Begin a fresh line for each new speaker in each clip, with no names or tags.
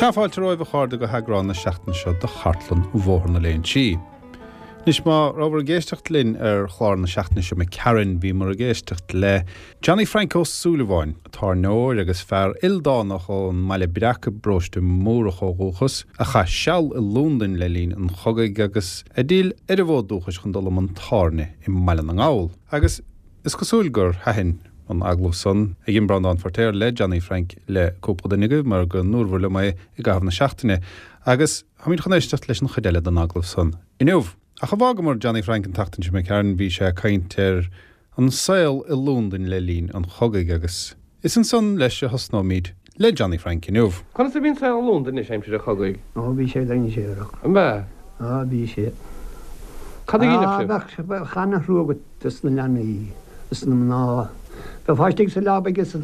Sea, fáilte romhaibh a chairde go heagrán na seachtaine seo de Chartlann Bhóthar na Léinsí. Anois má rabhabhair ag éisteacht linn ar chlár na seachtaine seo imigh tharainn, bhíomar ag éisteacht le Johnny Frank Ó Súilleabháin, tábhairneoir agus fear ildánach ón mBaile Breac i bparóiste Múrach ó dhúchas, a chaith seal i Londain le linn an chogaidh agus a d'fhill ar a bhfód dúchais chun dul i mbun tábhairne i mBaile na nGall. Agus is cosúil gur thaitin an agallamh san a dhein Breandán Feirtéar le Johnny Frank le cúpla duine agaibh mar go ndúrabhair liom é i gcaitheamh na seachtaine. Agus. Táimid chun éisteacht leis an chuid eile den agallamh san inniu. Ach a bhfágamar Johnny Frank an tseachtain seo imigh tharainn bhí sé ag caint ar an saol i Londain le linn an chogaidh agus is ansan leis a thosnóimid le Johnny Frank inniu.
Conas a bhí an saol i Londain anois aimsir an chogaidh?
Ó bhí sé dainséarach.
An b'ea?
Á bhí sé.
Cad a dheineadh sibh?
Á bheadh ana-thrua agat dos na leanaí is na mná. Bheifeá istigh sa leaba agus an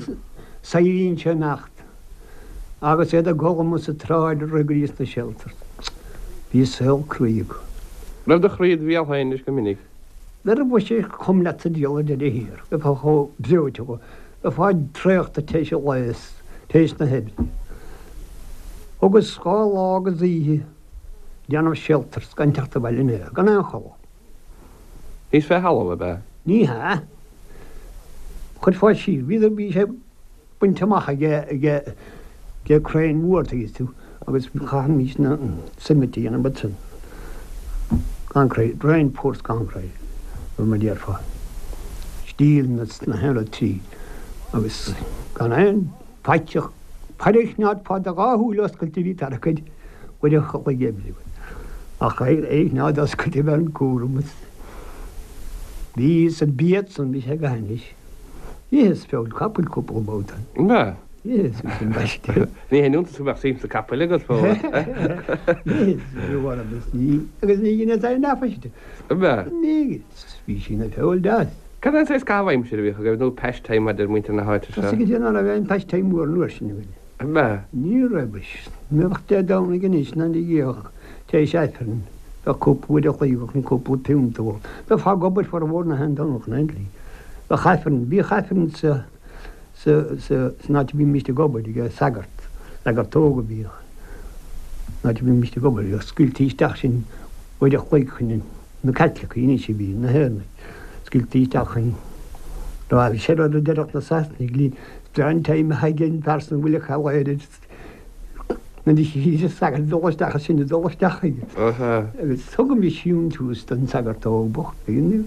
saighdiúirí ag imeacht. Agus iad ag dul amuigh sa tsráid ag rith go dtí sna shelters. Bhí saol cruaidh acu.
Raibh do chroí id bhéal féin anois go minic.
Nuair a bheadh sé chomh leat sa diabhal ar deireadh thiar, bheifeá chomh breoite dhó. Bheifeá traochta tar éis an lae is tar éis na hoibre. Thugas 2 lá agus oíche ag déanamh shelters gan teacht abhaile in aon, gan aon chodladh.
Thíos fé thalamh, ab ea?
Ní hea. Chuirfeá siar. Bhí sé. bainte amach aige ag crainn mhór tuigeann tú agus chaithfimis na cement a dhéanamh ansin gan cré, reinforced concrete mar a déarfá, steel na haon rud tríd agus gan aon faiteadh, faire a choinneáil do dhá shúil oscailte a bhí tarrac air uair an chloig oibre ach é a choinneáil oscailte a bheith an cúram is bhí sa bia san bhí sé go hainnis. Itheas feoil capaill cúpla babhta.
An ea?
Itheas, bhí sin aisteach.
Ní haon iontas go mbeadh suim sa capaill agat fós.
Itheas, bhí orm is ní, agus ní dheineas aon aiféala.
An ea?
Ní dheineas, bhí sí ina feoil deas.
Cad é an saghas caitheamh aimsire a bhíodh agaibh, nó pastime a deir muintir na háite seo?
Tá 's agat nach raibh aon pastime mór an uair sin againn.
An ea?
Ní raibh. Bheadh Dé Domhnaigh anois ná ní bhíodh tar éis Aifrinn, bheadh cúpla uair a chloig chun cúpla piúnt a ól. Bheifeá ag obair formhór na haon Domhnach in aon tslí. Bheadh Aifreann, bhíodh Aifreann sa, sa, sa, san áit a bhímist ag obair ag sagart, sagart óg a bhíodh, san áit a bhímist ag obair, bhíodh scaoiltí isteach sinn uair a chloig chun na Caitlicigh anois a bhí, na hÉireannaigh, scaoiltí isteach chun, raibh sé rud a déarfadh na Sasanaigh linn, is breá an time atá ag an bhfear san a bhfuil a chall air nuair a chífidh an sagart ag dul isteach is sinn ag dul isteach chuige. Agus thugaimis síntiús don sagart óg bocht, tuigeann tú.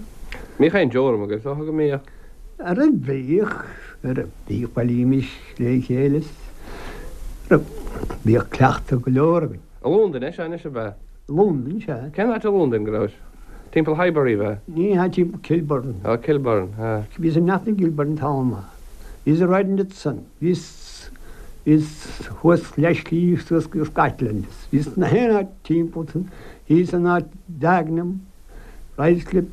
Mbíodh aon deoram agaibh, is dócha go mbíodh.
Ara bhíodh, ara bhíodh, bhailímis le chéile is ara bhíodh cleachtadh go leor againn.
I Londain é seo anois, ab ea?
I Londain, sea.
Cén áit i Londain go rabhais? Timpeall Highbury, ab ea?
Ní hea, timpeall Kilburn.
Ó, Kilburn, sea.
Bhíos i Nothing Kilburn an t-am maith. Bhíos i Riding at Sun. Bhíos, bhíos thuas leath-shlí suas go Scotland. Bhíos na haon áit timpeall san, thíos in áit Dagenham, Ruislip,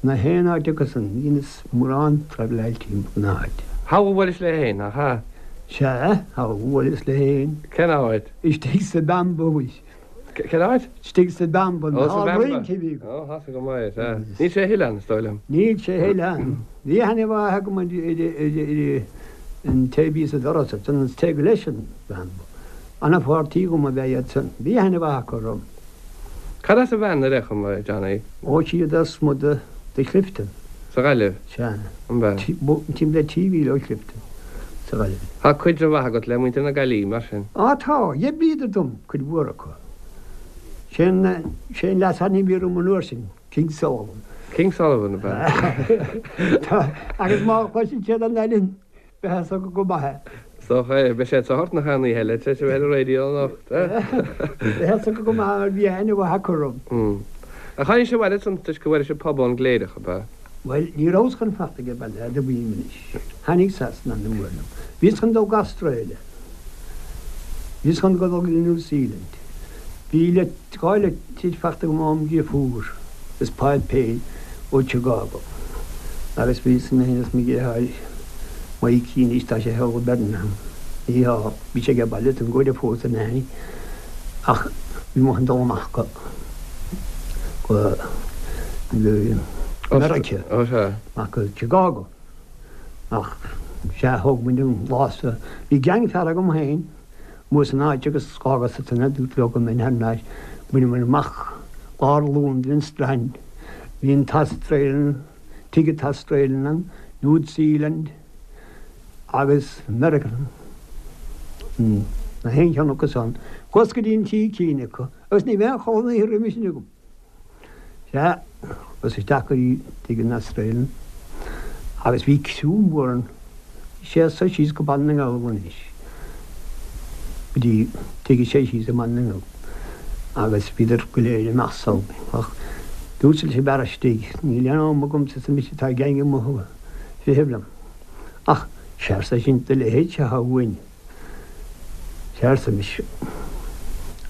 na haon áit acu san, dheineas mórán traibhleáil timpeall na háite.
Thall a bhuailis léi féin, nach ea?
Sea, thall a bhuaileas léi féin.
Cén áit?
Istigh sa Bamboo.
Cén áit?
Istigh sa Bamboo,
Ó, sa
an
Bamba.
rince a bhí agam.
Ó, tá 's agam é, sea. Níl sé a thuilleadh ann, is dóigh liom.
Níl sé a thuilleadh ann. Bhí aithne mhaith agam ar an té a bhí sa doras ansan, an té gur leis an Bamboo. Ana-pháirtí dhom ab ea iad san. Bhí aithne mhaith acu orm.
Cad as a bhean ar aon chuma, Johnny?
Ó siad as muid de Chlifton.
Sa Ghaillimh?
Sea.
An b'ea?
Timpeall le trí mhíle ó Chlifton, sa Ghaillimh.
Tá caidreamh mhaith agat le muintir na Gaillimhe, mar sin?
Á tá, d'oibríodar dom, cuid mhór acu. Sé an, sé an leasainm a bhí orm an uair sin, King Sullivan.
King Sullivan, ab ea?
Tá, agus má chloiseann siad an ainm, Beidh a fhios acu go maith é.
Is dócha é. Beidh sé sa ghort nach aon oíche eile tar éis a bheith ar an raidió anocht, eh?
Beidh a fhios acu go maith mar bhí aithne mhaith acu orm.
Ach tháinig sibh abhaile ansan toisc go bhfuair sibh pub ón gCléireach, ab ea?
Bhuel, ní rabhas chun fanacht age baile, admhaím anois. Tháinig Sasana ana-mhór liom. Bhíos chun dul go Australia. Bhíos chun dul go New Zealand. Bhí le. 2 litir fachta agam óm dhriofúr is páipéir ó Chicago agus bhíos mé féin is mo dhriotháir Mikey anois tá sé thall i Birmingham ní hea bhí sé age baile san go raibh fós in aithne ach bhí mo chun dul amach go go go Meiriceá amach go Chicago ach sea thóg muid an lá so bhí gang fear agam féin. Amuigh san áit agus dh'fhágas ansan é, dúrt leo go mbeinn thar n-ais. Bhaineamair amach lár Londain, an Strand. Bhí an tAustralian, tigh an tAustralian ann, New Zealand agus American, na haon cheann acu san. Chuas go dtí an tigh cinn acu agus ní bheadh aon chodladh an oíche roimhe sin agam. Sea, chuas isteach go dtí tigh an Australian agus bhí criú mór ann. Bhí sé as so síos go Baile na nGall anois, go dtí tigh sé síos i mBaile na nGall agus bhíodar go léir ag imeacht sall. Ach dúirt leis an bhfear istigh, níl aon am agamsa arsa mise tá gang amuigh ag feitheamh liom. Ach sea arsa eisean, do leithéidse atá uainn. Sea, arsa mise.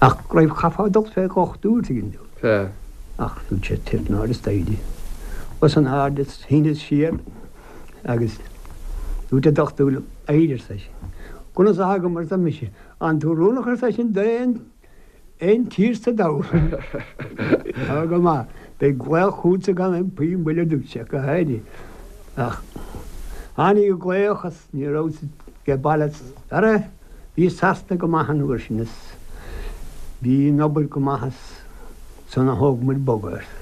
Ach go raibh, chaithfeá dul fé dhochtúir, tuigeann tú.
Sea.
Ach dúirt sé, tar in airde is staighre. Chuas in airde is shíneas siar agus dúirt an dochtúir liom, éirigh, arsa eisean. Conas atá agam, arsa mise. An tú oiriúnach, arsa eisean, d'aon aon tír sa domhan. Tá go maith. Beidh glaoch chugatsa gan aon puinn moille a dúirt sé, go háirithe. Ach tháinig an glaoch is ní rabhas age baile. Ara, bhí Sasana go maith an uair sin is bhí an obair go maith is ansan a thóg muid bogadh, arsa.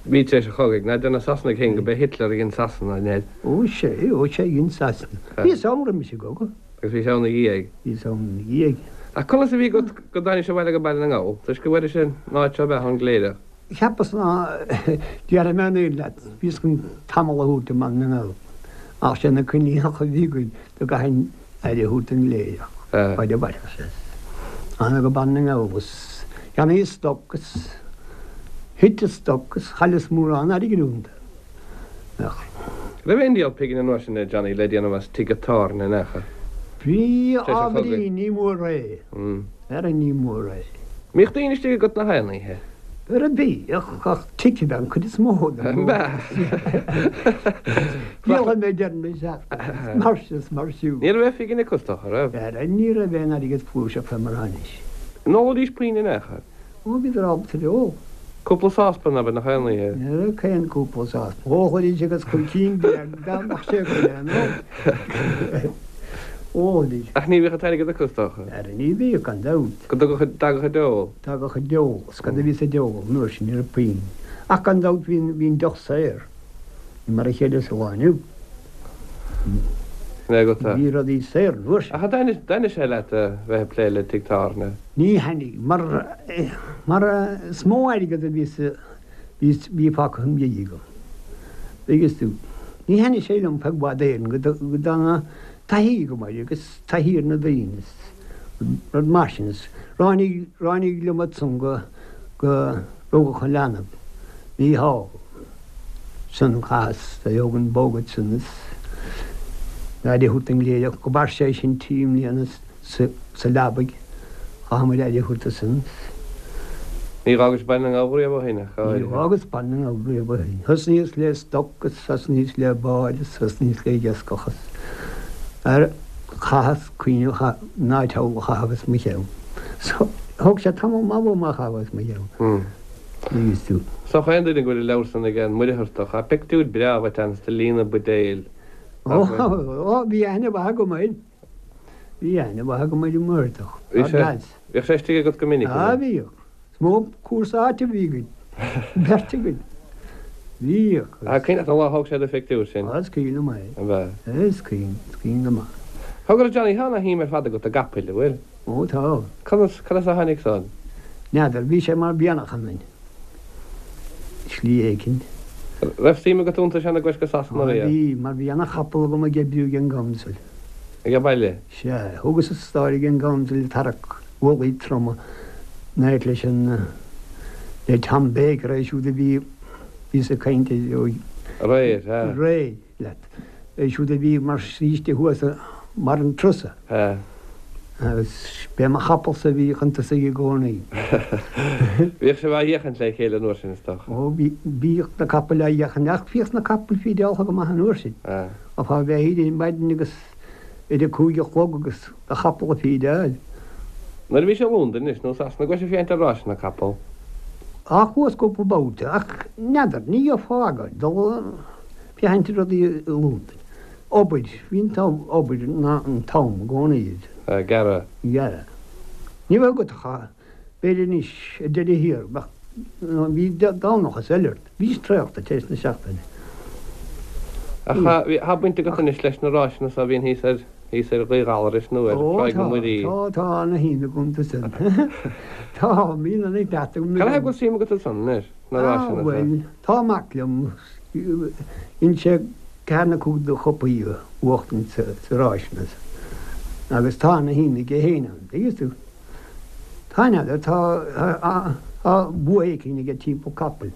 Bhí tar éis an chogaidh. Ná deir na Sasanaigh féin go b'é Hitler a dhein Sasana, an ea?
Ó sea, ó sea, dhein Sasana. Bhíos ann roimis an gcogadh.
Agus bhís ann ina dhiaidh.
Bhíos ann ina dhiaidh.
Ach conas a bhí agat go dtáinis abhaile go Baile na nGall? Toisc go bhfuairis an áit seo ab ea ón gCléireach?
Cheapas ná déarfaidh mé an fhírinne leat, bhíos chun tamall a thabhairt i mBaile na nGall, ach sé na coinníollacha a bhí againn go gcaithfinn aire a thabhairt don gCléireach, fad a mhairfeadh sé. Thána go Baile na nGall is cheannaíos stoc is thit an stoc is chailleas mórán airgid iontu. Ach.
Raibh aon díol pingine an uair sin, a Johnny, le déanamh as tigh tábhairne in aon chor?
Bhí ábhairín, ní mór é. Ara ní mór é.
Mbíodh daoine istigh agat na haon oíche?
Ara bhíodh, ach tigh ab ea an chuid is mó den Díolfaidh mé deireadh na seachtaine, is mar sin is mar siúd.
Ní raibh aon phingin acu is dócha, raibh?
Ara ní raibh aon airgead flúirseach fé mar atá anois.
An ólaidís puinn in aon chor?
Ó, bhíodar ábalta ar ól.
Cúpla sáspan, abair, nach aon oíche?
Ní raibh aon cúpla sáspan. Ólaidís agus chun cinn beag dá mbeadh sé go léir ann. Ólaidís.
Ach ní bhíodh an t-airgead acu, is dócha.
Ara ní bhíodh, gan dabht.
Go dtagadh an deol.
Tagadh an deol. Is cad a bhí sa deol an uair sin? Ní raibh puinn. Ach gan dabht bhí an deoch saor. Ní mar a chéile sa lá inniu.
Sin é agat é.
Bhí rudaí saor an uair sin.
Ach an dtaitnigh sé leat a bheith ag plé le tigh tábhairne?
Ní thaitnigh, mar, mar is mó airgead a bhí sa, bhí, bhí fágtha im dhiaidh agam. Tuigeann tú. Ní thaitnigh sé liom feadh i bhfad Éireann go, go dtána taithí agam air agus taithí ar na daoine is rud mar sin is ráinig, ráinig liom ansan go, go rugadh an leanbh, Mícheál. San chaitheas a thóg an bogad san is aire a thabhairt don gCléireach go mhair sé sin trí mbliana sa leabaidh. Chaith muid aire a thabhairt do san.
Ní dh'fhágais Baile na nGall riamh ó shin ach go
háirithe. Ní dh'fhágas Baile na nGall riamh ó shin. Thosnaíos le stoc is thosnaíos le báid is thosnaíos le iascach is ar chaitheas cuimhneamh an áit thall a chaitheamh as mo cheann. So thóg sé tamall maith uaim é a chaitheamh as mo cheann.
Is dócha aon duine go bhfuil an leabhar san aige, an Muircheartach. Tá pictiúir breá uait ann is tú ag líonadh buidéil.
Ó, bhí aithne mhaith agam air. Bhí aithne mhaith agam ar an Muircheartach.
Bhí sé, bhíodh sé istigh agat go minic,
an ea? Bhíodh. Is mó cúrsa áite a bhí againn, beirt againn. Bhíodh.
Ach cuimhin leat an lá a thóg sé do phictiúr sin?
Á, is cuimhin liom é.
An b'ea?
Is cuimhin, is cuimhin go maith.
Cogar a Johnny, tá ana-shuim ar fad agat i gcapaill, an bhfuil?
Ó tá.
Conas, conas a tháinig san?
N'fheadar, bhí sé mar mhianach ionainn, slí éicint.
Raibh suim agat iontu seana gcuais go Sasana
Á riamh? bhí, mar bhí ana-chapall agam ag oibriú ag an gcouncil.
Ag baile?
Sea, thugas an stáir ag an gcouncil ag tarrac mhullaí troma in áit leis an, le Tom Baker, é siúd a bhí, bhíos ag caint air ó.
Aréir, sea.
Aréir. leat. É siúd a bhí mar shaoiste thuas mar an trusa. Agus b'é mo chapallsa a bhí chun tosaigh i gcónaí.
Bhíodh sibh á fhiachaint le chéile an uair sin, is dócha.
Ó, bhíodh na capaill á fhiachaint, ach bhíodh na capaill fídeáltha go maith an uair sin. Bheifeá a bheith ar maidin agus ar a cúig a chlog agus do chapall a fídeáil.
Nuair a bhís i Londain anois nó Sasana an gcuais ag féachaint ar ráiseanna capall.
Á, chuas cúpla babhta, ach n'fheadar, ní gheofá agóid dul. Féachaint ar rudaí i Londain. Obair, bhí an t-am, obair ná an t-am i gcónaí.
Ag gearradh.
Gearradh. Ní bheadh agat ach, b'fhéidir anois, ar deireadh thiar, bheadh, bhí Domhnach is eile ort. Bhís traochta tar éis na seachtaine.
Ach tá baint agat anois leis na ráiseanna so a bhíonn thíos ar, thíos ar Ghaoth Ghallarais nó ar Thráigh na Muirí.
Ó tá, tá, tá ana-shuim agam iontu san. Tá, bíonn ana-chleachtadh agam.
Cad é go bhfuil suim agat ansan anois, na ráiseanna
so? Ah, bhuel, tá mac liom, dhein sé ceathair nó cúig de chupaí a bhuachtaint sa ráiseanna san agus tá ana-shuim aige féin ann, tuigeann tú. Tá, n'fheadar, tá, tá bua éicint aige timpeall capaill.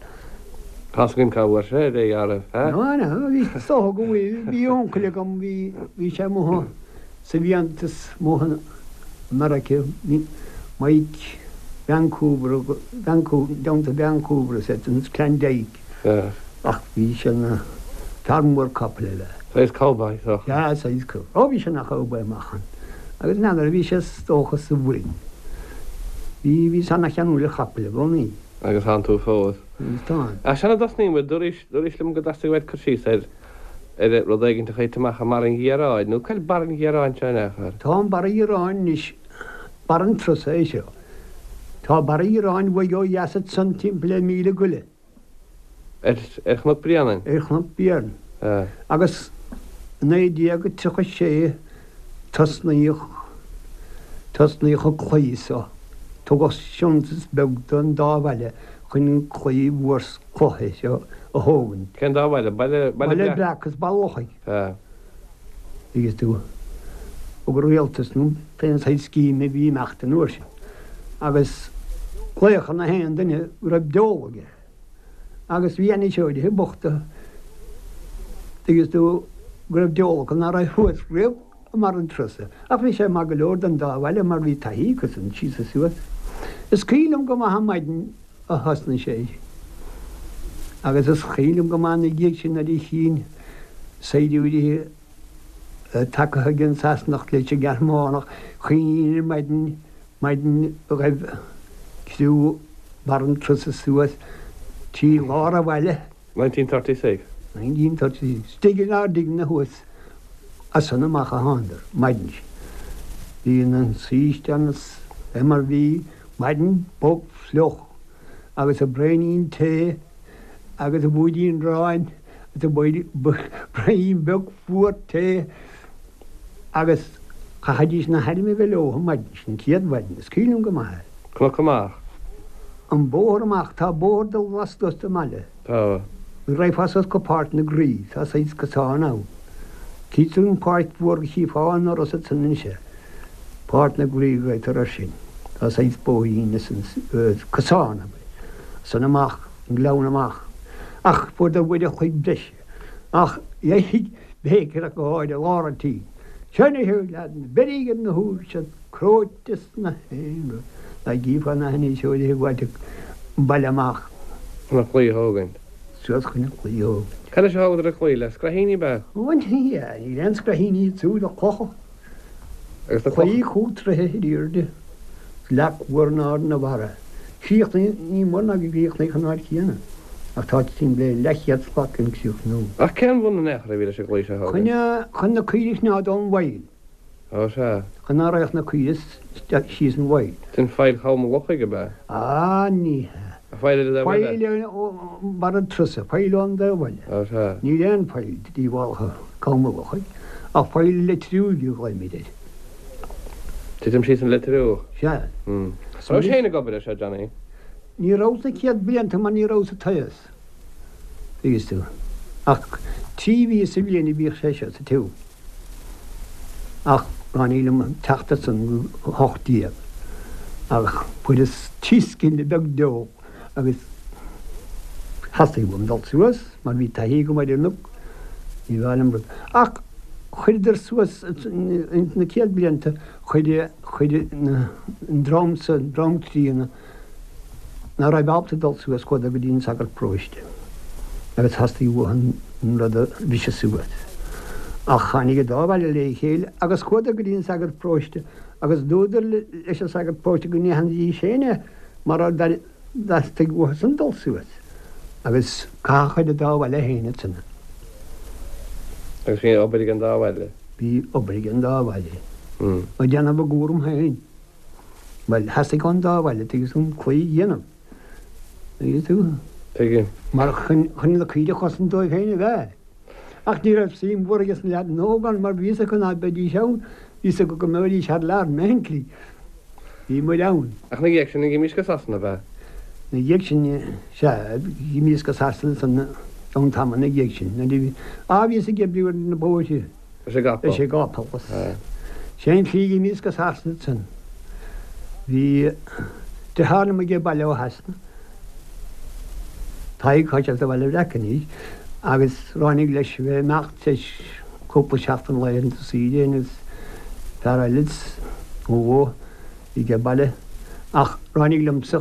Tá's againn cá bhfuair sé é, a raibh,
a? No, no, bhí, is dócha go bhfuil, bhí uncail agam, bhí, bhí sé amuigh sa bhfiántas amuigh i Meiriceá, Mike Vancouver, Vancouver, i dteannta Vancouver is é, Klondike. Ach bhí sé ina fear mór capaill eile.
Saghas cowboy, is
dócha. Sea, saghas cowboy. Ó, bhí sé ina chowboy amach ann. Agus n'fheadar, bhí sé is dócha sa bhfoireann. Bhí, bhíos ana-cheanúil ar chapaill i gcónaí.
Agus tánn tú fós.
Agus táim.
Ach sara dtosnaíonn muid, dúraís, dúraís liom go dteastaigh uait cur síos ar, ar rud éigin a thit amach i mBarr an Ghiaráin, nó cá bhfuil Barr an Ghiaráin seo in aon chor?
Tá an Barr an Ghiaráin anois, Barr an Trusa é seo. Tá Barr an Ghiaráin uaidh ó dheas ansan timpeall ar mhíle go leith.
Ar Chnoc Bréanainn?
Ar Chnoc Bréanainn. Agus i 1936 tosnaíodh, tosnaíodh an claí so. Tugadh deontas beag don dá bhaile chun an claí mhór cloiche seo a thógaint.
Cén dá bhaile? Baile,
Baile Breac? Baile Breac agus Baile Lochaigh. Agus tú, thug an rialtas nó pé saghas scéim a bhí ag imeacht an uair sin agus glaodh ar na haon duine go raibh deoladh aige agus bhí ainniseoirithe bochta agus tú go raibh deoladh acu ná raibh thuas riamh i mBarr an Trusa ach bhí sé maith go leor don dá bhaile mar bhí taithí acu san síos is suas. Is cuimhin liom go maith an maidin a thosnaigh sé agus is cuimhin liom go maith ina dhiaidh sin nuair a chínn saighdiúirí tagtha ag an Sasanach leis an Ghearmánach, chuimhnínn ar maidin, maidin a ghaibh criú Bharr an Trusa suas trí lár an bhaile.
1936.
1936. Istigh inár dtigeanna thuas as san amach a thánadar, maidin sin. Bhí an saoiste ann is é mar bhí, maidin bog fliuch agus a braoinín tae agus a bhúidín aráin agus a braoinín beag fuar tae agus chaithfidís na hairm a bheith leo an mhaidin sin, an chéad mhaidin, is cuimhin liom go maith é.
Cnoc amach.
An bóthar amach, tá bóthar dul lastuas den mbaile.
Tá.
Raghfá suas go Páirc na Graí, tá saghas cosán ann. Tchí tú an pháirc mhór go chífeá an doras ansan anois é. Páirc na Graí a ghlaotar air sin. Tá saghas bóithrín ansan, cosán, abair, ansan amach, an gleann amach. Ach fuaireadar uair a chloig breise. Ach dheigh Baker ach go háirithe i lár an tí. Seo anois a leaideanna, beiríg ar na húir seo cróite sna haon rud. Dá gcífeá na hainniseoirí ag gabháilt an baile amach.
Chun an chlaí a thógaint.
Suas chun an chlaí a thógaint.
Cad leis a thógadar an claí? Le scraithíní ab
ea? Ó ní hea, níl aon scraithíní ansiúd ach clocha.
Agus na clocha.
Claí chúig troithe ar airde, is leac mhór in airde ina bharra. Chríochnaigh, ní mór ná go gcríochnaíodh an áit chéanna, ach tá timpeall le leathchéad slat gan críochnú.
Ach cén bhun in aon chor a bhí leis an gclaí seo a
thógaint? Chun na caoirigh a choinneáil ón bhfaill.
Ó sea.
Chun ná raghadh na caoirigh síos an bhfaill.
Sin faill Cholm an Lochaigh, ab ea?
Á, ní hea.
Faill ar an dtaobh
eile? Faill ó bharr an trusa, faill ón dtaobh eile.
Ó sea.
Níl aon faill díobhálach Colm an Lochaigh, ach faill Leitriúigh a ghlaoimid air.
Titim síos an Leitriúch.
Sea.
An rabhais féin ag obair air seo, Johnny?
Ní rabhas na chéad blianta mar ní rabhas sa tsaghas, tuigeann tú. Ach trí mhí sa bhliain a bhíodh sé seo sa tsiúl. Ach ráinig liom teacht ansan go 18 ach fuaireas trí scine beag deoch agus theastaigh uaim dul suas mar bhí taithí agam ar an gcnoc, ní bheadh liom rud. Ach chuireadar suas ins na céad blianta chuir chuir an dream sa dream críonna ná raibh ábalta dul suas chuadar go dtí an sagart paróiste agus theastaigh uathu an rud a bhriseadh suas. Ach tháinig an dá bhaile lé chéile agus chuadar go dtí an sagart paróiste agus dúradar leis an sagart paróiste go ndéanfaidís féin é mar theastaigh uathusan dul suas agus caitheadh ar an dá bhaile féin ansan.
Agus bhí obair ag an dá bhaile?
Bhí obair ag an dá bhaile. Ag déanamh a gcúram féin. Bhuel, theastaigh ón dá bhaile, tuigeann tú, an claí a dhéanamh. Tuigeann tú?
Tuigim.
Mar chun na caoirigh a chosaint dóibh féin ab ea. Ach ní raibh suim mhór aige sna leaideanna óga ann mar bhí fhios acu ná beidís ann, bhí fhios acu go mbeidís thar lear, mbeidís. Bhí muid ann.
Ach ina dhiaidh sin, dh'imís go Sasana, ab ea?
Ina dhiaidh sin, sea, dh'imíos go Sasana san am tamall ina dhiaidh sin. Nuair a bhí, á, bhíos ag oibriú ar na bóithre.
Leis an gcapall.
Leis an gcapall. Sé an tslí a dh'imíos go Sasana ansan. Bhí deartháir liom ag baile ó Shasana. Tadhg, tá sé sa Bhaile Bhreac anois, agus ráinig leis a bheith ag imeacht tar éis cúpla seachtain laethanta saoire agus fear eile nó a bhí ag baile ach ráinig liomsa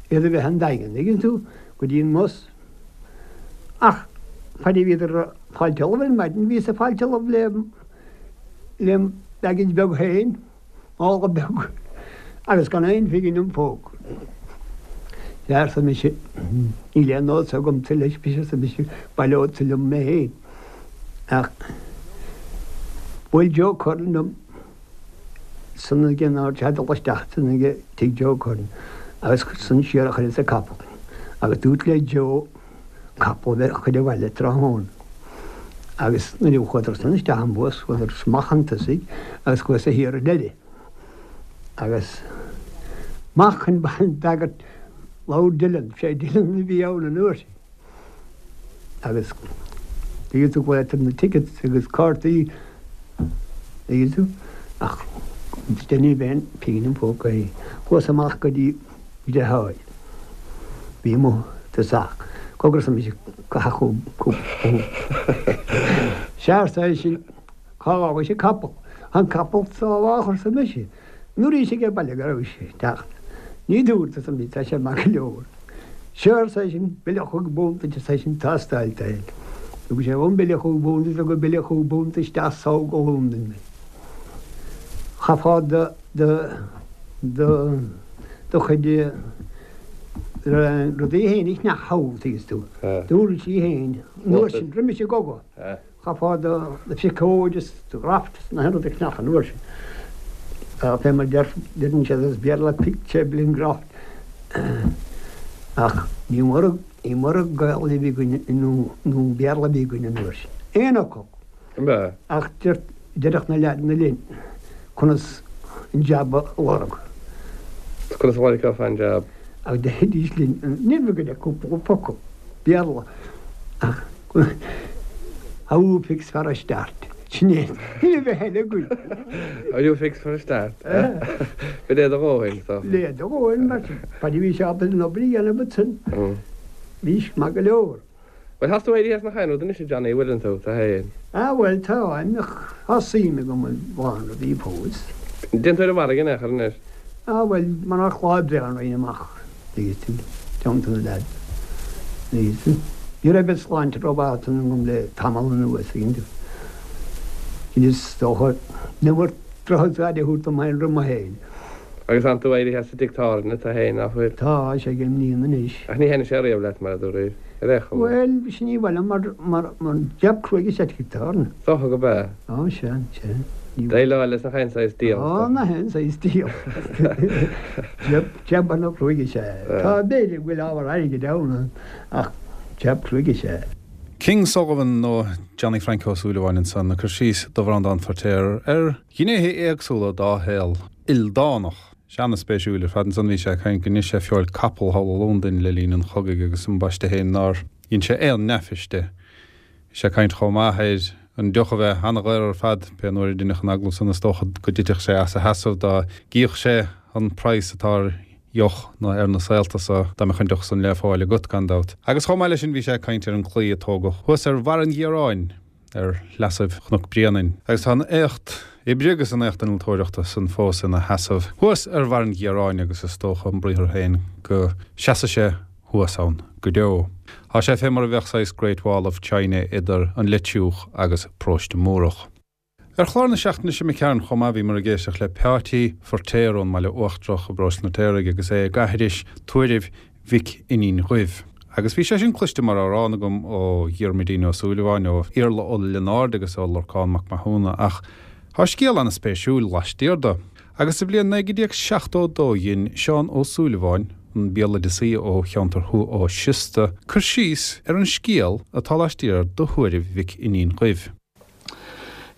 iad a bheith an Daingean, tuigeann tú, go dtí an mbus. Ach faid a bhíodar ag fáilt ullamh ar maidin, bhíos ag fáilt ullamh le lem baggage beag féin, mála beag, agus gan aon phingin im phóca. Sea, arsa mise, níl aon nós agamsa leis, arsa mise, baileodsa liom mé féin. Ach bhuail Joe Curran liom san ag an áit a dul isteach san ag tigh Joe Curran agus san siar a chuireas an capall agus dúirt le Joe capall a bheith a chur abhaile tráthnóna agus nuair a chuadar san isteach an bus chuadar amach chun tosaigh agus chuas-sa thiar ar deireadh agus amach chun d'fhreagairt labhair Dillon, sé Dillon a bhí ann an uair sin. Agus tuigeann tú glaotar na tickets agus cártaí tuigeann tú ach ní raibh aon phingin im phóca féin. Chuas amach go dtí deartháir. Bhí amuigh tosach. Cogar arsa mise caith cúpla punt. Sea arsa eisean cá bhfágais an capall? An capall sábhách arsa mise. Nuair ag baile go raibh sé ag teacht. Ní dúirt arsa mise tá sé maith go leor. Seo arsa eisean, bille chúig bpunt duit arsa eisean, tástáil é. Thug sé dhom bille chúig bpunt is thug an bille chúig bpunt isteach sall go Londain mé. Chaithfeá do do do do chuid rudaí féin a cheannach thall, tuigeann tú. D'uirlisí féin, an uair sin, roimis an gcogadh. Chaithfeá do phiocóid is do dhraft is na haon rud a cheannach an uair sin. Fé mar deireann siad as Béarla pick, treble and graft. Ach ní mór ní mór Gaelainn a bhí againn nó nó Béarla a bhí againn an uair sin. Aon fhocal. Ach deireadh na leaideanna linn conas an jab a lorg.
Conas a lorgófá an jab?
Ach deiridís linn, ní raibh againn ach cúpla focal Béarla ach How you fix for a start? Sin é. Ní raibh a thuilleadh againn.
How you fix for a start? Bhí le do dhóthain, so.
Le do dhóthain, mar sin. Fad a bhí sé ábalta an obair a dhéanamh ansin, bhís maith go leor.
Bhuel, thá tú éirithe as nach aon rud anois, a Johnny, bhfuileann tú, tú fhéin?
Ah, bhuel, táim, ach tá suim agam i lán rudaí fós.
Dtéann tú ar an bhfarraige in aon chor anois?
Ah, bhuel, murach lá breá an raghainn amach, tuigeann tú, teannta na leaids, tuigeann tú. Ní raibh an tsláinte rómhaith agam le tamall anuas, tuigeann tú. Is dócha, ní bhfuair drochaire a thabhairt dom féin roimh mo shaol.
Agus tánn tú éirithe as an dtigh tábhairne, tú fhéin, ná fuil?
Tá sé ag an mbliain anois.
Ach ní thaitníonn sé riamh leat, mar a dúraís, ar aon
chuma. Bhuel, sin ní mhaith liom mar, mar, mar jab cruaidh is ea tigh tábhairne.
Is dócha go b'ea.
Á, sea, sea.
Ní. Déileáil leis nach aon saghas
díol. Á, nach aon saghas díol. Jab, jab ana chruaidh is ea. Tá, b'fhéidir go bhfuil ábhar airgid ann, ach jab cruaidh is ea.
King Sullivan nó Johnny Frank Ó Súilleabháin ansan ag cur síos do Bhreandán Feirtéar ar ghnéithe éagsúla dá shaol ildánach. Sea, ana-spéisiúil ar fad. Ansan bhí sé ag caint go ndein sé feoil capall thall i Londain le linn an chogaidh agus ambaiste féin nár dhein sé aon neafais de. Bhí sé ag caint chomh maith ar an deoch a bheith ana-dhaor ar fad. Pé an uair a deineadh an agallamh san is dócha go dtitfeadh sé as a sheasamh dá gcífeadh sé an praghas atá ar dheoch nó ar na saolta so dá mbeadh an deoch san le fáil agat gan dabht. Agus chomh maith leis sin bhí sé ag caint ar an gclaí a tógadh thuas ar Bharr an Ghiaráin ar shleasaibh Chnoc Bréanainn, agus tá an éacht oibre agus an éacht innealtóireachta san fós ina sheasamh thuas ar Bharr an Ghiaráin agus is dócha an briathar féin go seasfaidh sé thuas ann go deo. Tá sé fé mar a bheadh saghas Great Wall of China idir an Leitriúch agus Paróiste Múrach. Ar chlár na seachtaine seo imigh tharainn chomh maith bhíomar ag éisteacht le Peáití Feirtéar ón mBaile Uachtarach i bParóiste an Fheirtéaraigh agus é ag aithris tuairimh Mhic Fhinghin Dhuibh. Agus bhí sé sin cloiste mar amhrán agam ó Dhiarmuidín Ó Súilleabháin, ó Iarla Ó Lionáird agus ó Lorcán Mac Mathúna ach. Tá scéal an-spéisiúil laistiar de. Agus sa bhliain 1972 dhein Seán Ó Súilleabháin, an béaloideasaí ó cheantar Thuath Ó Siosta, cur síos ar an scéal atá laistiar de Thuairimh Mhic Fhínín Dhuibh.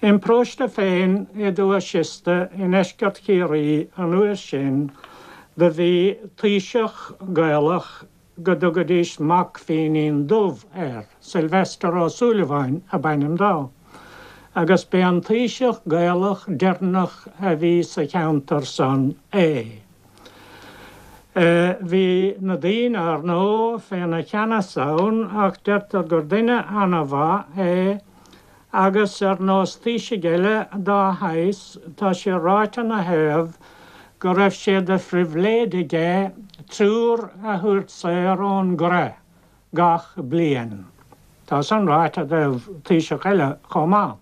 Im paróiste féin i dTuath Siosta i ndeisceart Chiarraí an uair sin do bhí taoiseach Gaelach go dtugaidís Mac Fínín Dubh air, Sylvester Ó Súilleabháin ab ainm dó, agus b'é an taoiseach Gaelach deireanach a bhí sa cheantar san é. Bhí na daoine, ar ndóigh, féna cheannas ann ach deirtear gur duine ana-mhaith é agus ar nós taoisigh eile dá shaghas tá sé ráite 'na thaobh go raibh sé de phribhléid aige triúr a thabhairt saor ón gcroich gach bliain. Tá san ráite i dtaobh taoiseach eile chomh maith.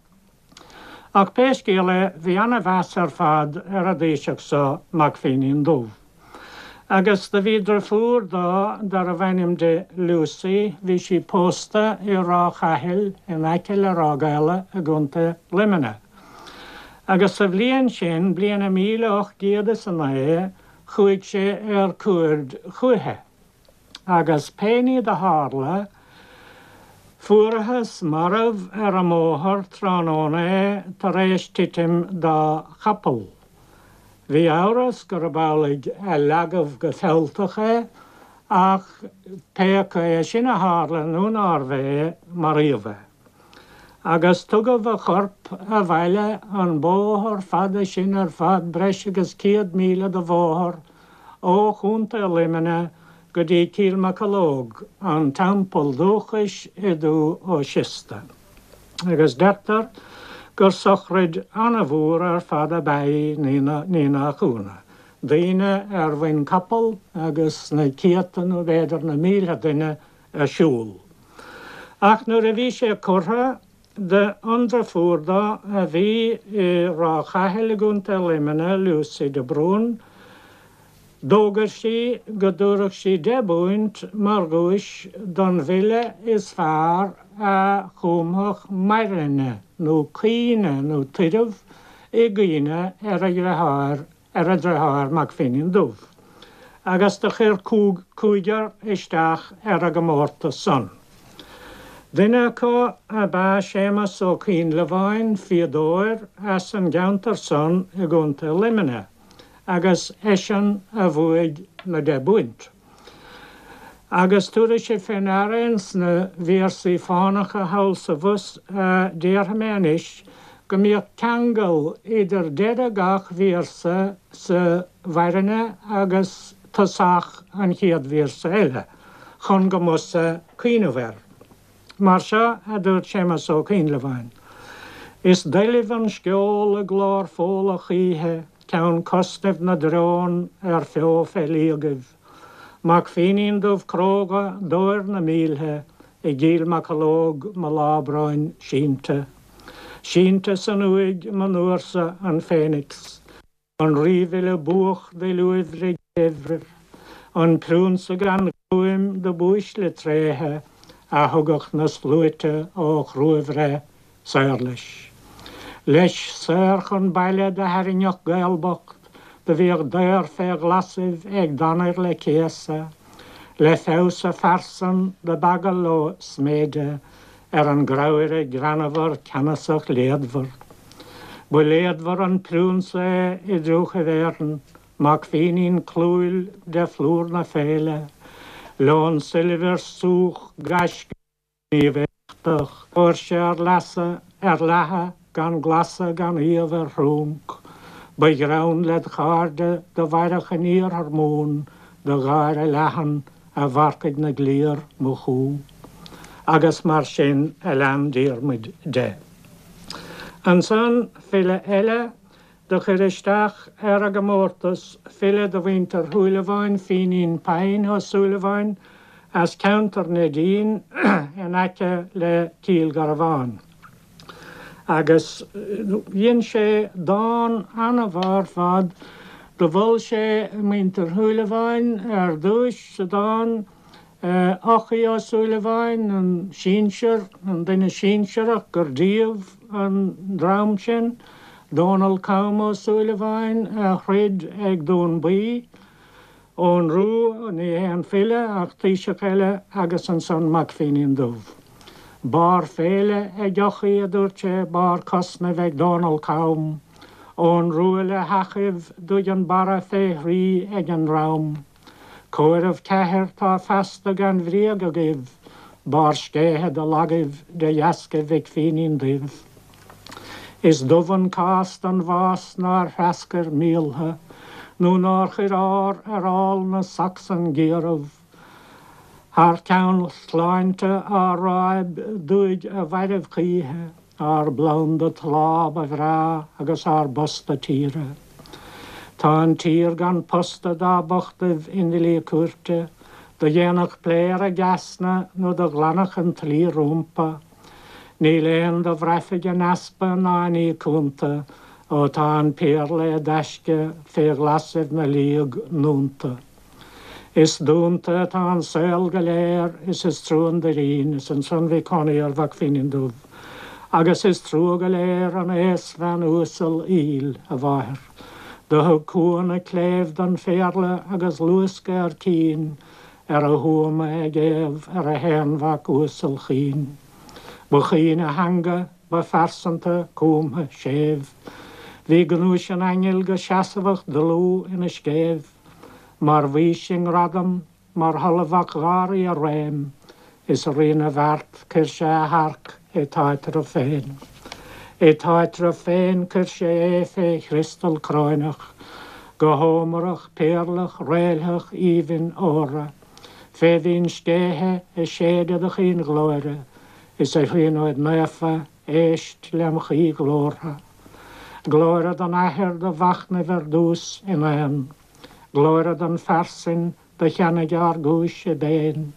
Ach pé scéal é bhí ana-mheas ar fad ar an dtaoiseach so, Mac Fínín Dubh. Agus do bhí driofúr dó darbh ainm di Lucy, bhí sí pósta i Ráth Chathail in aice le Ráth Gabhla i gContae Luimnigh. Agus sa bhliain sin, bliain a 1809, chuaigh sé ar cuaird chúiche. Agus pé ní do tharla, fuarathas marbh ar an mbóthar tráthnóna é tar éis titim dá chapall. Bhí amhras gurb amhlaidh a leagadh go fealltach é, ach pé acu é sin a tharla nó nárbh é, maraíodh é. Agus tugadh a chorp abhaile an bóthar fada sin ar fad, breis agus 100 míle de bhóthar, ó Chontae Luimnigh go dtí Cill Mocheallóg, an teampall dúchais i dTuath Ó Siosta. Agus deirtear gur sochraid ana-mhór ar fad ab ea í, ní nach ionadh. Daoine ar mhuin capall agus na céadta nó b'fhéidir na mílte duine ag siúl. Ach nuair a bhí sé curtha, an deirfiúr dó a bhí i Ráth Chathail i gContae Luimnigh, Lucy de Brún, d'fhógair sí go dtabharfadh sí £10 mar dhuais don bhfile is fearr a chumfadh mairinne nó caoineadh nó tuireamh i gcuimhne ar a dheartháir ar a dheartháir Mac Fínín Dubh, agus do chuir cúigear isteach ar an gcomórtas san. Duine acu ab ea Séamus Ó Coinnleabháin, fíodóir as an gceantar san i gContae Luimnigh, agus eisean a bhuaigh na £10. Agus tabharfaidh sibh fé ndeara ins na véarsaí fánacha thall 's abhus a déarfaidh mé anois go mbíodh ceangal idir deireadh gach véarsa sa mhairinne agus tosach an chéad véarsa eile, chun go mb'fhusa cuimhneamh air. Mar seo a dúirt Séamus Ó Coinnleabháin, Is doilbh an sceol i gclár Fódhla choíche, ceann cosnaimh na dtreon ar feo fé liagaibh. Mac Fínín Dubh cróga d'óir na mílthe i gCill Mocheallóg mo lá bróin sínte. Sínte san uaigh monuarsa an Féinics. An rífhile buach d'fhuil uaibhre, an priúnsa gan ghruaim do b'uaisle tréithe a thugadh na sluaite ó chruabhreith saor leis. Leis saor chun baile do thairringeadh Gael bocht do bhíodh daor fé ghlasaibh ag Danair le céasadh, le feabhas a phearsan do b'eagal leo sméideadh ar an gcreamhaire greannmhar ceannasach léadmhar. Ba léadmhar an priúnsa é i dtriúchaibh Éireann, Mac Fínín clúmhail de phlúr na féile, leon soilbhir súch gaisciúil gníomh éachtach, fuair sé ar lasadh, ar leathadh gan glasadh gan iamh ar thrúnc. Ba ghreann led chairde do mhairfeadh in iarthar Mumhan do gháire leathan a mharcaigh na gcliar, mo chú. Agus mar sin a lean Diarmuid de. Ansan file eile do chuir isteach ar an gcomórtas, file de mhuintir Shúilleabháin, Fínín Pyne Ó Súilleabháin, as ceantar Neidín in aice le Cill Garbháin. Agus dhein sé dán ana-mhaith ar fad. Do mhol sé muintir Shúilleabháin ar dtúis sa dán, Eochaidh Ó Súilleabháin, an sinsear, an duine sinsearach, gur díobh an dream sin. Dónall Cam Ó Súilleabháin a throid ag Dún Buí, Eoghan Rua, ní hé an file ach taoiseach eile agus ansan Mac Fínín Dubh. Barr féile ag Eochaidh, a dúirt sé, barr cosnaimh ag Dónall Cam, Eoghan Rua le heachaibh dúigh an barra fé thrí ag an ndream. Comhaireamh ceathair tá feasta gan bhréag agaibh, barr scéithe do lagaibh de dheasca Mhic Fínín Duibh. Is dubh an cás don bhás nár threascair míoltha, nó nár chuir ár ar ál na Sacsan gciarraibh. Thar ceann shláinte ár ráib dúigh a mhairbh choíche, Ár bplanda tláth ba bhreá agus ár bposta tíre. Tá an tír gan posta dá bochtaibh i ndlí cúirte, do dhéanfadh plé ar a gceasna nó do ghlanfadh an tslí rómpa. Níl aon do bhraithfidh a n-easpa ná a ní cúnta ó tá an péarla i dtaisce fé ghlasaibh na liag ndúnta. Is dúnta atá an saol go léir is is trua an doirín is ansan bhí cónaí ar Mhac Fínín Dubh agus is trua go léir an aosbhean uasal aoil, a mháthair. Do thug cuan a cléibh don phéarla agus luascadh ar cinn ar a thuama ag éamh ar a haonmhac uasal chaoin. Ba chaoin a theanga, ba phearsanta, cúmtha, séimh. Bhí gnúis an aingil go seasmhach dlúth ina scéimh. Mar Mhaois i ngradam, mar Sholamh Mhac Gháraí i réim, is a Rí na bhfeart cuir sé a harc i t'áitreabh féin. I t'áitreabh féin cuir sé é fé chriostal cróineach, go hómarach, péarlach, réiltheach, aoibhinn, órdha, fé mhín scéithe a séideadh do chaoinghlóire, is a Thríonóid Naofa, éist lem ghuí ghlórtha. Glóire don Athair do mhachnaimh ar dtús in aon. Glóire don phearsain do cheannaigh ár gcúis i bpéin.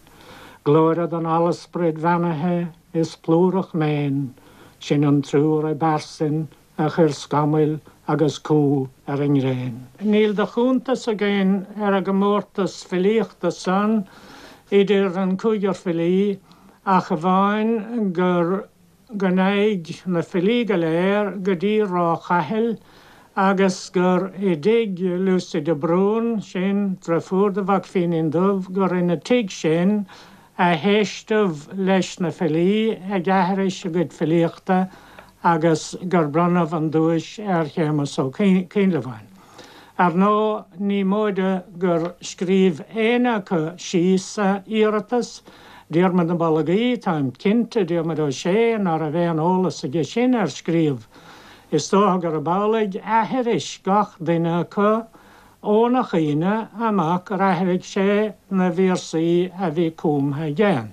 Glóire don Allsprid bheannaithe is plúrach méin, sin an triúr i bpearsain a chuir scamaill agus cumha ar an ngréin. Níl de chuntas againn ar an gcomórtas filíochta san idir an cúigear filí ach amháin gur go ndeachaigh na filí go léir go dtí Ráth Chathail agus gur i dtigh Lucy de Brún, sin driofúr do Mhac Fínín Dubh, gur ina tigh sin a héisteadh leis na filí ag aithris a gcuid filíochta agus gur bronnadh an duais ar Shéamus Ó Coinleabháin. Ar ndóigh, ní móide gur scríobh éinne acu síos a iarratas, Diarmuid na Bolgaí, táim cinnte, Diarmuid Ó Sé, ná raibh aon eolas aige sin ar scríobh. Is dócha gurb amhlaidh aithris gach duine acu óna chuimhne amach gur aithrigh sé na véarsaí a bhí cumtha aige.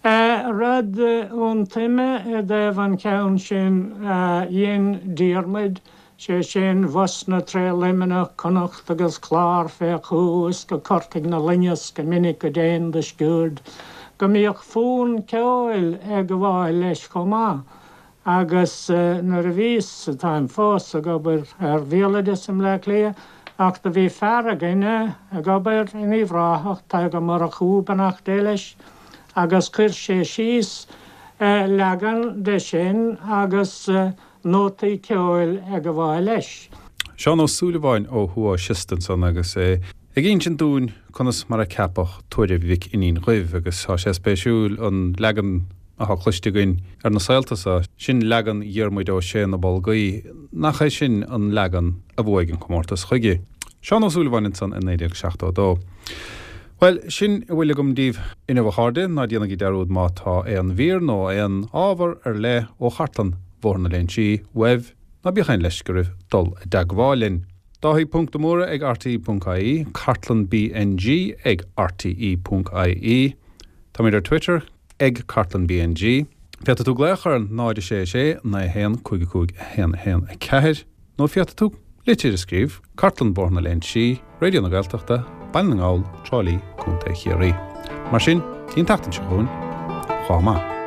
Rud ionsuime i dtaobh an cheann sin a dhein Diarmuid, sé sin, Bhosna tré Luimneach, Connacht agus Clár fé chú is go Corcaigh na loingeas go minic go dtéinn do sciúird, go mbíodh fonn ceoil ag gabháil leis chomh maith. Agus nuair a bhíos, táim fós, ag obair ar bhéaloideas i mBleá Cliath, ach do bhí fear againne ag obair in Uíbh Ráthach, Tadhg Ó Murchú, beannacht Dé leis, agus chuir sé síos leagan de sin agus nótaí ceoil ag gabháil leis.
Seán Ó Súilleabháin ó Thuath Siosta ansan agus é ag insint dúinn conas mar a ceapadh Tuairimh Mhic Fhínín Dhuibh agus tá sé spéisiúil an leagan atá cloiste againn ar na saolta so, sin leagan Dhiarmuid Ó Sé na Bolgaí, nach é sin an leagan a bhuaigh an comórtas chuige. Seán Ó Súilleabháin ansan i 1972. Bhuel, sin a bhfuil agam daoibh inniu a chairde, ná déanaigí dearúd má tá aon mhír nó aon ábhar ar leith ó chartlann Bhóthar na Léinsí uaibh, ná bíodh aon leisce oraibh dul i dteagmháil linn. Dáithí ponc de Mórdha ag rte ponc ie, cartlann BNG ag rte ponc ie. Táimid ar Twitter ag cartlann BNG. Féadfaidh tú glaoch ar 0 6 6 9 1 5 5 1 1 4 nó féadfaidh tú litir a scríobh, Cartlann Bóthar na Léinsí, Raidió na Gaeltachta, Baile na nGall, Trá Lí, Contae Chiarraí. Mar sin, dtí an tseachtain seo chugainn, lá maith.